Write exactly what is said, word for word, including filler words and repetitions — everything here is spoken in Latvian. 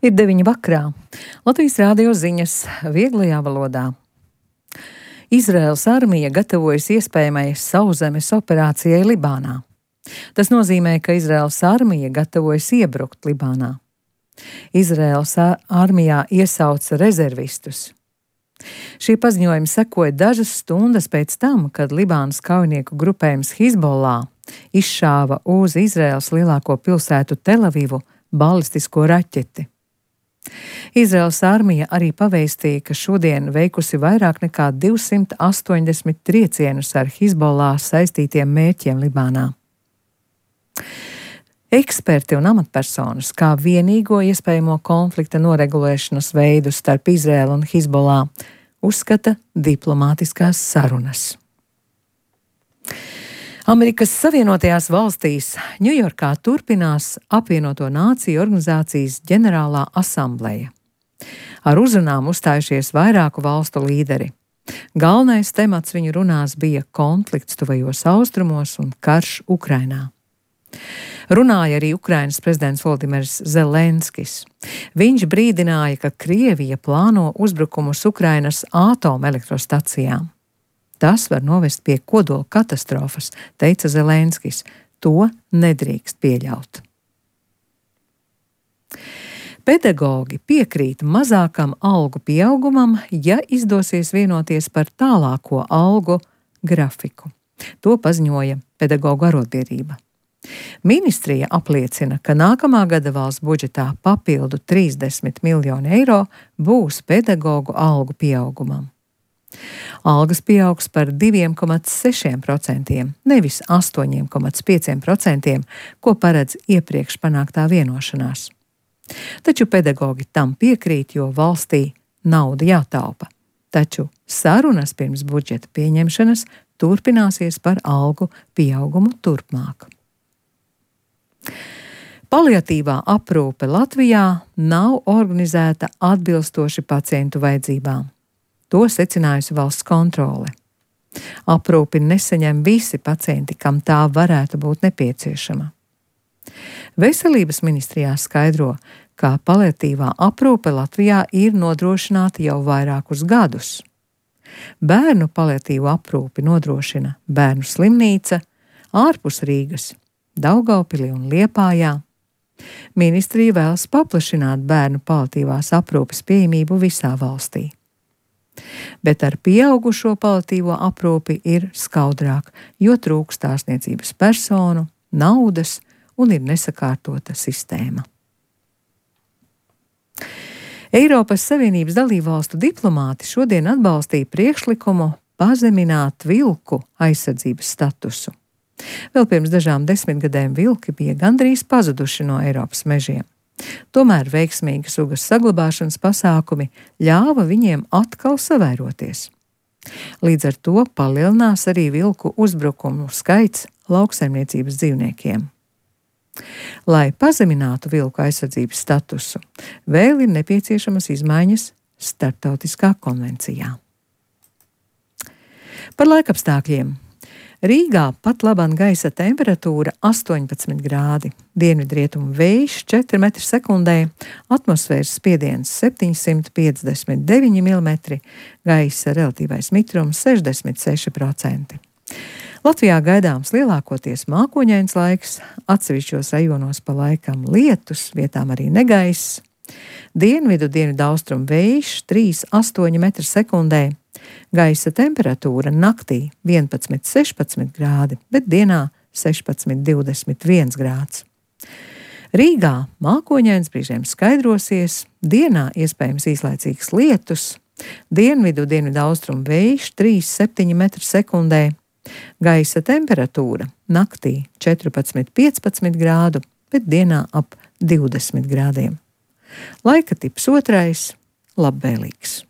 Ir deviņi vakarā. Latvijas Rādio ziņas vieglajā valodā. Izraēlas armija gatavojas iespējamai sauszemes operācijai Libānā. Tas nozīmē, ka Izraēlas armija gatavojas iebrukt Libānā. Izraēlas armijā iesauca rezervistus. Šī paziņojuma sekoja dažas stundas pēc tam, kad Libānas kaujinieku grupējums Hizbollah izšāva uz Izraēlas lielāko pilsētu Telavivu balistisko raķeti. Izraēlas armija arī pavēstīja, ka šodien veikusi vairāk nekā divsimt astoņdesmit triecienus ar Hizbollah saistītiem mērķiem Libānā. Eksperti un amatpersonas kā vienīgo iespējamo konflikta noregulēšanas veidu starp Izraēlu un Hizbollah uzskata diplomātiskās sarunas. Amerikas Savienotajās valstīs Ņujorkā turpinās apvienoto nāciju organizācijas ģenerālā asambleja. Ar uzrunām uzstājušies vairāku valstu līderi. Galvenais temats viņu runās bija konflikts tuvajos austrumos un karš Ukrainā. Runāja arī Ukrainas prezidents Volodimirs Zelenskis. Viņš brīdināja, ka Krievija plāno uzbrukumus Ukrainas atomelektrostacijām. Tas var novest pie kodola katastrofas, teica Zelenskis. To nedrīkst pieļaut. Pedagogi piekrīt mazākam algu pieaugumam, ja izdosies vienoties par tālāko algu grafiku. To paziņoja pedagogu arotbiedrība. Ministrija apliecina, ka nākamā gada valsts budžetā papildu trīsdesmit miljoni eiro būs pedagogu algu pieaugumam. Algas pieaugs par divi komats seši procenti, nevis astoņi komats pieci procenti, ko paredz iepriekš panāktā vienošanās. Taču pedagogi tam piekrīt, jo valstī nauda jātaupa. Taču sarunas pirms budžeta pieņemšanas turpināsies par algu pieaugumu turpmāk. Paliatīvā aprūpe Latvijā nav organizēta atbilstoši pacientu vajadzībām. To secinājusi valsts kontrole. Aprūpi nesaņem visi pacienti, kam tā varētu būt nepieciešama. Veselības ministrijā skaidro, ka paliatīvā aprūpe Latvijā ir nodrošināta jau vairākus gadus. Bērnu paliatīvu aprūpi nodrošina Bērnu slimnīca ārpus Rīgas, Daugavpilī un Liepājā. Ministrija vēlas paplašināt bērnu paliatīvās aprūpes pieejamību visā valstī. Bet ar pieaugušo paliatīvo aprūpi ir skaudrāk, jo trūkst ārstniecības personu, naudas un ir nesakārtota sistēma. Eiropas Savienības dalībvalstu diplomāti šodien atbalstīja priekšlikumu pazemināt vilku aizsardzības statusu. Vēl pirms dažām desmitgadēm vilki bija gandrīz pazuduši no Eiropas mežiem. Tomēr veiksmīgi sugas saglabāšanas pasākumi ļāva viņiem atkal savairoties. Līdz ar to palielinās arī vilku uzbrukumu skaits lauksaimniecības dzīvniekiem. Lai pazeminātu vilku aizsardzības statusu, vēl ir nepieciešamas izmaiņas starptautiskā konvencijā. Par laikapstākļiem. Rīgā pat labāk gaisa temperatūra astoņpadsmit grādi, dienvidrietumu vējš četri metri sekundē, atmosfēras spiediens septiņsimt piecdesmit deviņi milimetri, gaisa relatīvais mitrums sešdesmit seši procenti. Latvijā gaidāms lielākoties mākoņains laiks, atsevišķos rajonos pa laikam lietus, vietām arī negaiss. Dienvidu dienvidaustrumu vējš trīs astoņi metri sekundē. Gaisa temperatūra naktī vienpadsmit sešpadsmit grādi, bet dienā sešpadsmit divdesmit viens grāds. Rīgā mākoņains brīžiem skaidrosies, dienā iespējams īslaicīgs lietus, dienvidu dienvidaustrumu vējš trīs septiņi metri sekundē. Gaisa temperatūra naktī četrpadsmit piecpadsmit grādu, bet dienā ap divdesmit grādiem. Laika tips otrais – labvēlīgs.